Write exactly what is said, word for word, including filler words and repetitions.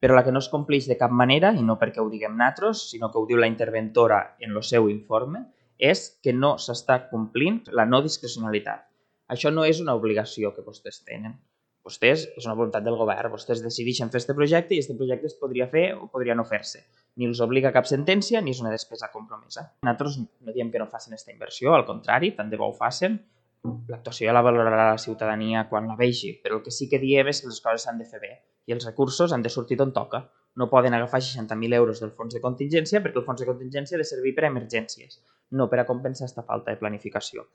però la que no es compleix de cap manera, i no perquè ho diguem nosaltres, sinó que ho diu la interventora en el seu informe, és que no s'està complint la no discrecionalitat. Això no és una obligació que vostès tenen. Vostès, és una voluntat del govern, vostès decideixen fer aquest projecte i aquest projecte es podria fer o podria no fer-se. Ni els obliga cap sentència ni és una despesa compromesa. Nosaltres no diem que no facin aquesta inversió, al contrari, tant de bo ho facin. L'actuació ja la valorarà la ciutadania quan la vegi, però el que sí que diem és que les coses s'han de fer bé i els recursos han de sortir d'on toca. No poden agafar seixanta mil euros del fons de contingència perquè el fons de contingència ha de servir per a emergències, no per a compensar aquesta falta de planificació.